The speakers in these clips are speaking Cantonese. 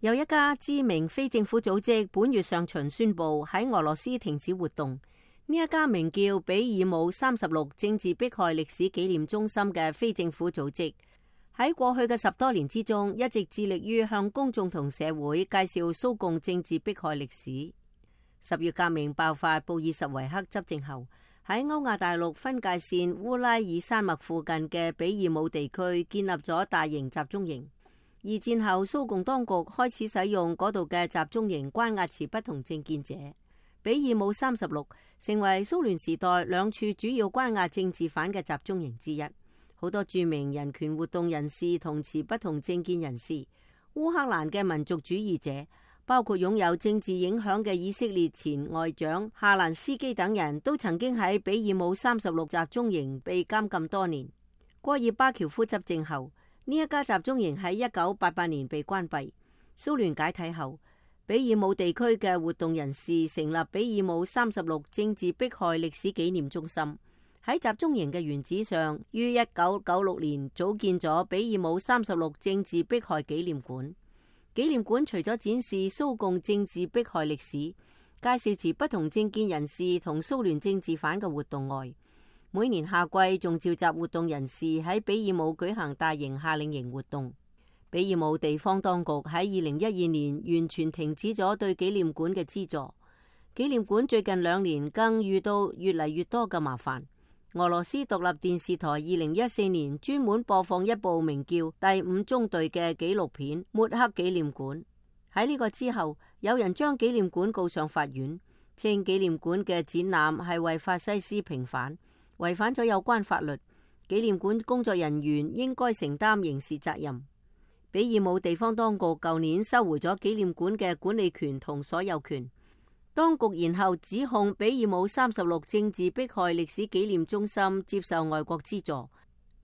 有一家知名非政府組織本月上旬宣布喺俄羅斯停止活動。呢一家名叫比爾姆36政治迫害歷史紀念中心嘅非政府組織，喺過去嘅10多年之中，一直致力於向公眾同社會介紹蘇共政治迫害歷史。10月革命爆發，布爾什維克執政後，喺歐亞大陸分界線烏拉爾山脈附近嘅比爾姆地區建立咗大型集中營。二戰後，蘇共當局開始使用嗰度嘅集中營關押持不同政見者。比爾姆36成為蘇聯時代兩處主要關押政治犯嘅集中營之一。好多著名人權活動人士同持不同政見人士，烏克蘭嘅民族主義者，包括擁有政治影響嘅以色列前外長夏蘭斯基等人都曾經喺比爾姆36集中營被監禁多年。戈爾巴喬夫執政後，呢一家集中營喺1988年被關閉。蘇聯解體後，比爾姆地區嘅活動人士成立比爾姆36政治迫害歷史紀念中心。喺集中營嘅原址上，於1996年組建咗比爾姆36政治迫害紀念館。紀念館除咗展示蘇共政治迫害歷史，介紹持不同政見人士同蘇聯政治犯嘅活動外，每年夏季仲召集活動人士喺比爾姆舉行大型夏令營活動。比爾姆地方當局喺2012年完全停止咗對紀念館嘅資助。紀念館最近2年更遇到越嚟越多嘅麻煩。俄羅斯獨立電視台2014年專門播放一部名叫《第5中隊》嘅紀錄片，抹黑紀念館。喺呢個之後，有人將紀念館告上法院，稱紀念館嘅展覽係為法西斯平反，違反咗有關法律。紀念館工作人員應該承擔刑事責任。比爾姆地方當局舊年收回咗紀念館嘅管理權同所有權。當局然後指控比爾姆36政治迫害歷史紀念中心接受外國資助，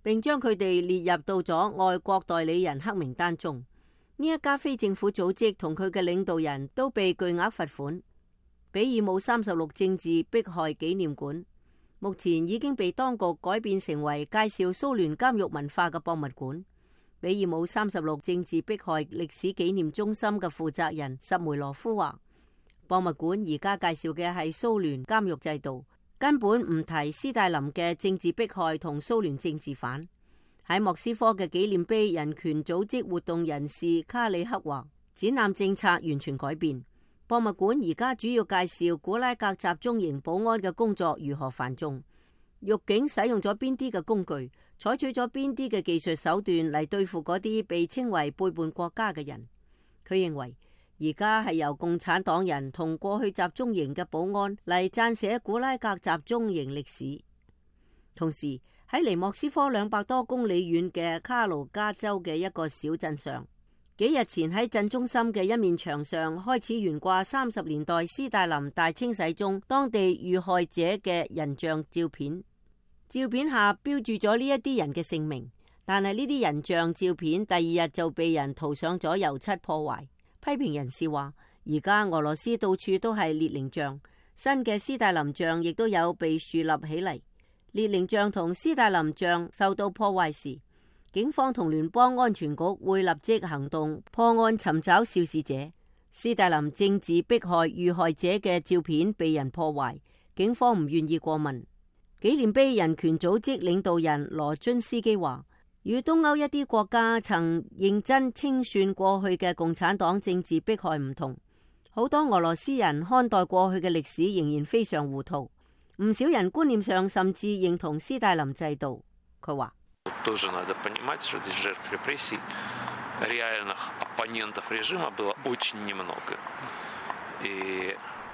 並將佢哋列入到咗外國代理人黑名單中。呢一家非政府組織同佢嘅領導人都被巨額罰款。比爾姆36政治迫害紀念館目前已經被當局改變成為介紹蘇聯監獄文化嘅博物館。比爾姆36政治迫害歷史紀念中心嘅負責人什梅羅夫話，博物館而家介紹嘅係蘇聯監獄制度，根本唔提斯大林嘅政治迫害同蘇聯政治犯。喺莫斯科嘅紀念碑人權組織活動人士卡里克話，展覽政策完全改變。博物館而家主要介紹古拉格集中營保安嘅工作如何繁重，獄警使用咗邊啲嘅工具，採取咗邊啲嘅技術手段嚟對付嗰啲被稱為背叛國家嘅人。佢認為而家係由共產黨人同過去集中營嘅保安嚟撰寫古拉格集中營歷史。同時喺離莫斯科200多公里遠嘅卡盧加州嘅一個小鎮上，幾日前喺鎮中心嘅一面牆上開始懸掛30年代斯大林大清洗中當地遇害者嘅人像照片。照片下標注咗呢一啲人嘅姓名，但係呢啲人像照片第2日就被人塗上咗油漆破壞。批評人士話，而家俄羅斯到處都係列寧像，新嘅斯大林像亦都有被豎立起嚟。列寧像同斯大林像受到破壞時，警方同聯邦安全局會立即行動破案尋找肇事者。斯大林政治迫害遇害者嘅照片被人破壞，警方唔願意過問。紀念碑人權組織領導人羅津斯基話，與東歐一啲國家曾認真清算過去嘅共產黨政治迫害唔同，好多俄羅斯人看待過去嘅歷史仍然非常糊塗，唔少人觀念上甚至認同斯大林制度。佢話，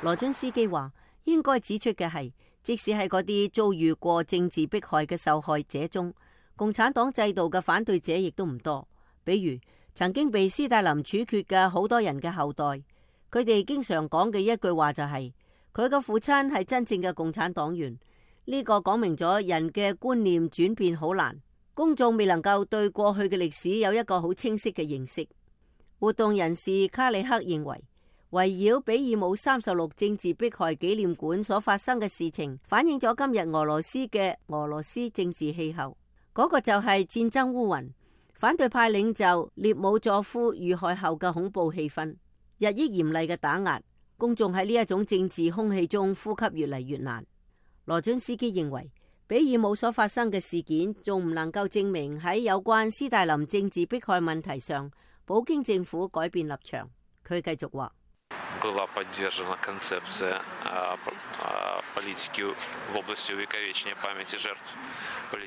羅津斯基話，應該指出嘅係，即使係嗰啲遭遇過政治迫害嘅受害者中，共產黨制度嘅反對者亦都唔多。比如曾經被斯大林處決嘅好多人嘅後代，佢哋經常講嘅一句話就係，佢嘅父親係真正嘅共產黨員。呢個講明咗人嘅觀念轉變好難，公眾未能夠對過去嘅歷史有一個好清晰嘅認識。活動人士卡里克認為，圍繞比爾姆36政治迫害紀念館所發生嘅事情，反映咗今日俄羅斯嘅俄羅斯政治氣候。嗰個就係戰爭烏雲，反對派領袖列姆佐夫遇害後嘅恐怖氣氛日益嚴厲嘅打壓，公眾喺呢一種政治空氣中呼吸越嚟越難。羅津斯基認為，比爾姆所發生嘅事件仲唔能夠證明喺有關斯大林政治迫害問題上，普京政府改變立場。佢繼續話：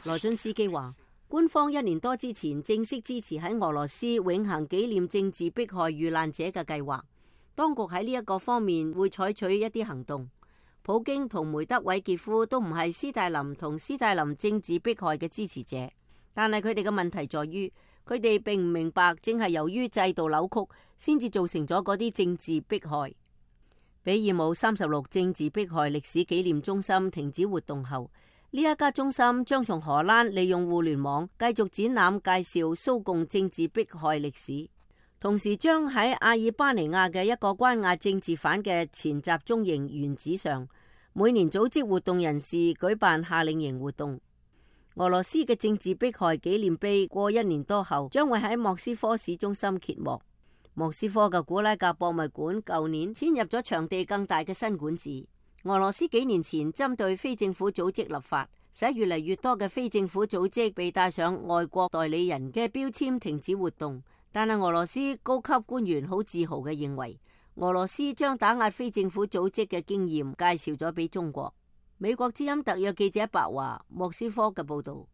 羅津斯基話，官方1年多之前正式支持喺俄羅斯永恆紀念政治迫害遇難者嘅計劃，當局喺呢一個方面會採取一啲行動。普京同梅德韋傑夫都唔係斯大林同斯大林政治迫害嘅支持者，但係佢哋嘅問題在於，佢哋並唔明白，正係由於制度扭曲，先至造成咗嗰啲政治迫害。比爾姆36政治迫害歷史紀念中心停止活動後，呢一家中心將從荷蘭利用互聯網繼續展覽介紹蘇共政治迫害歷史，同時將喺阿爾巴尼亞嘅一個關押政治犯嘅前集中營原址上，每年組織活動人士舉辦夏令營活動。俄羅斯嘅政治迫害紀念碑過1年多後，將會喺莫斯科市中心揭幕。莫斯科嘅古拉格博物館舊年遷入咗場地更大嘅新館子。俄羅斯幾年前針對非政府組織立法，使越嚟越多嘅非政府組織被帶上外國代理人嘅標籤，停止活動。但係俄羅斯高級官員好自豪嘅認為，俄羅斯將打壓非政府組織嘅經驗介紹咗俾中國。美國之音特約記者白華莫斯科嘅報道。